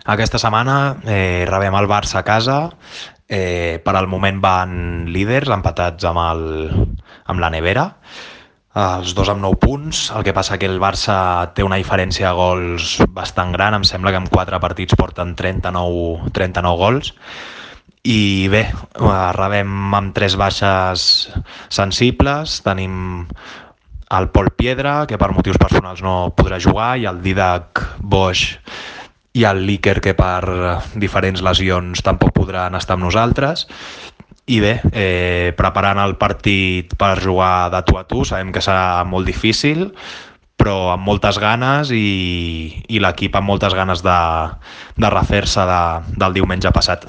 Aquesta setmana rebem el Barça a casa. Per al moment van líders, empatats amb la Nevera. Els dos amb 9 punts, el que passa que el Barça té una diferència de gols bastant gran, em sembla que en 4 partits porten 39 gols. I bé, rebem amb 3 baixes sensibles. Tenim el Pol Piedra, que per motius personals no podrà jugar, i el Didac Boix i el Líquer, que per diferents lesions tampoc podran estar amb nosaltres. I bé, preparant el partit per jugar de tu a tu. Sabem que serà molt difícil, però amb moltes ganes, i l'equip amb moltes ganes de refer-se del diumenge passat.